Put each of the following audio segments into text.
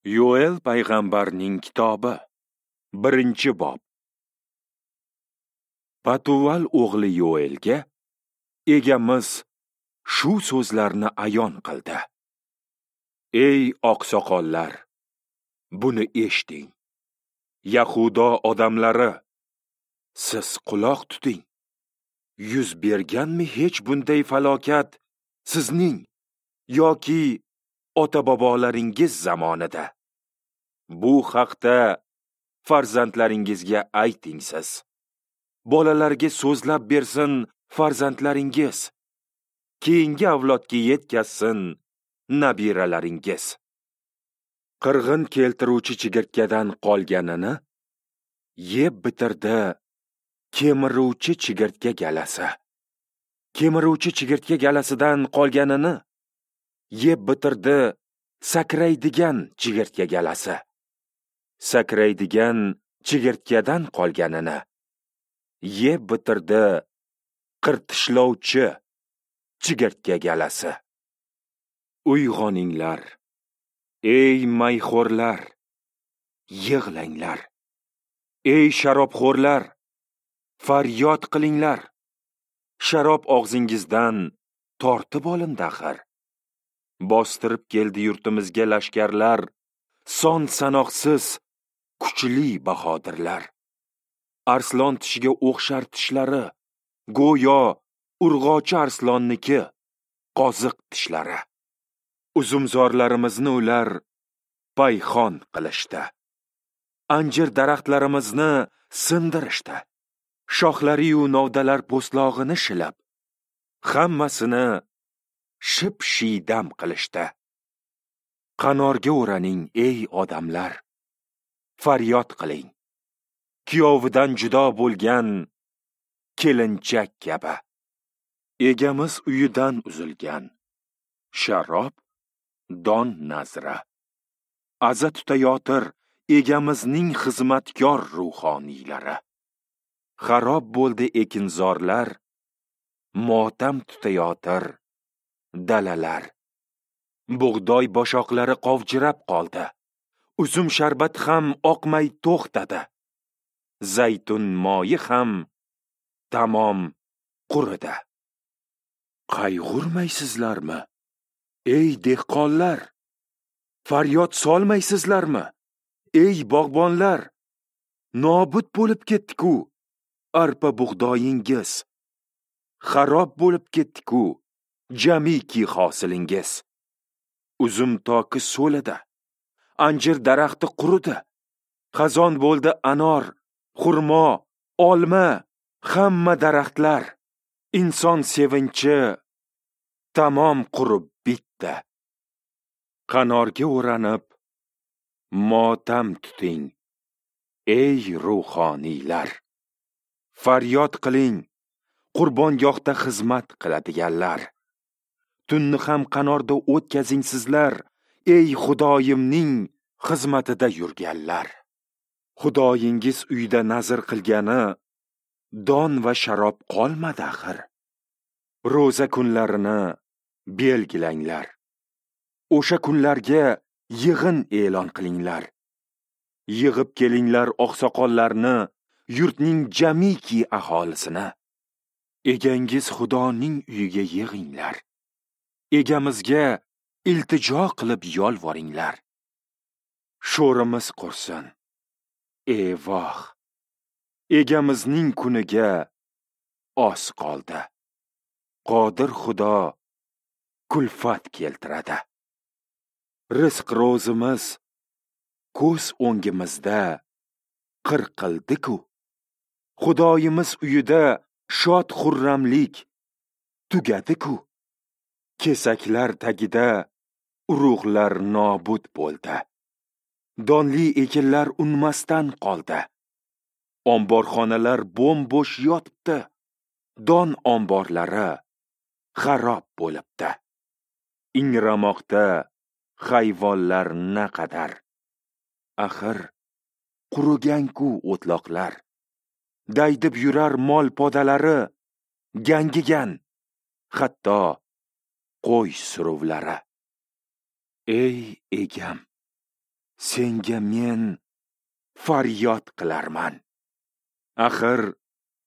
Yoel payg'ambarning kitobi, 1-bob. Patuval o'g'li Yoelga Egamiz shu so'zlarni ayon qildi. Ey oqsoqollar, buni eshiting. Yahudo odamlari, siz quloq tuting. Yuz berganmi hech bunday falokat sizning yoki ota-bobolaringiz zamonida? Bu haqda farzandlaringizga ayting siz. Bolalarga so'zlab bersin farzandlaringiz. Keyingi avlodga yetkazsin nabiralaringiz. Qirg'in keltiruvchi chigirtkadan qolganini yeb bitirdi kemiruvchi chigirtka galasi. Kemiruvchi chigirtka galasidan qolganini yeb bitirdi sakraydigan chigirtka galasi. Sakraydigan chigirtkadan qolganini yeb bitirdi qirtishlovchi chigirtka galasi. Uyg'oninglar, ey mayxo'rlar, yig'langlar. Ey sharobxo'rlar, faryod qilinglar. Sharob og'zingizdan tortib olindi axir. Bostirib keldi yurtimizga lashkarlar, son sanoqsiz kuchli bahodirlar. Arslon tishiga o'xshar tishlari, go'yo urg'ochi arslonniki qoziq tishlari. Uzumzorlarimizni ular payxon qilishdi. Anjir daraxtlarimizni sindirishdi. Shoxlari-yu novdalar po'stlog'ini shilab, hammasini ship-shiydam qilishdi. Qanorga o'raning, ey odamlar, faryod qiling. Kuyovidan judo bo'lgan kelinchak kabi. Egamiz uyidan uzilgan sharob don nazra. Aza tutayotir egamizning xizmatkor ruhoniylari. Xarob bo'ldi ekinzorlar, motam tutayotir dalalar. Bug'doy boshoqlari qovjirab qoldi. Uzum sharbati ham oqmay to'xtadi. Zaytun moyi ham tamom quridi. Qayg'urmaysizlarmi, ey dehqonlar? Faryod solmaysizlarmi, ey bog'bonlar? Nobud bo'lib ketdi-ku arpa bug'doyingiz. Xarob bo'lib ketdi-ku jamiki hosilingiz. Uzum toki so'lidi, anjir daraxti quridi. Xazon bo'ldi anor, xurmo, olma, hamma daraxtlar. Inson sevinchi tamom qurib bitdi. Qanorga o'ranib motam tuting, ey ruhoniylar. Faryod qiling, qurbongohda xizmat qiladiganlar. Tunni ham qanorda o'tkazing sizlar, ey Xudoyimning xizmatida yurganlar. Xudoyingiz uyda nazr qilgani don va sharob qolmadi axir. Ro'za kunlarini belgilanglar. O'sha kunlarga yig'in e'lon qilinglar. Yig'ib kelinglar oqsoqollarni, yurtning jamiki aholisini. Egangiz Xudoning uyiga yig'inglar. Egamizga iltijo qilib yolvoringlar. Sho'rimiz qursin. Evoh! Egamizning kuniga oz qoldi. Qodir Xudo kulfat keltiradi. Rizq ro'zimiz ko'z o'ngimizda qirqildi-ku. Xudoyimiz uyida shod xurramlik tugadi-ku. Kesaklar tagida urug'lar nobud bo'ldi. Donli ekinlar unmasdan qoldi. Omborxonalar bo'm-bo'sh yotibdi. Don omborlari xarob bo'libdi. Ingramoqda hayvonlar naqadar. Axir qurigan-ku o'tloqlar. Daydib yurar mol podalari gangigan, hatto qo'y suruvlari. Ey egam, Senga men faryod qilarman. Axir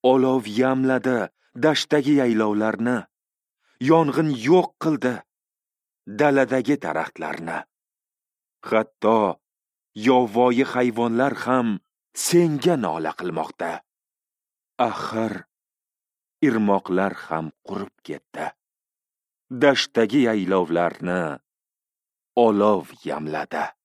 olov yamladi dashtdagi yaylovlarni, yong'in yo'q qildi daladagi daraxtlarni. Hatto yovvoyi hayvonlar ham senga nola qilmoqda. Axir irmoqlar ham qurib ketdi. Dashtdagi yaylovlarni olov yamladi.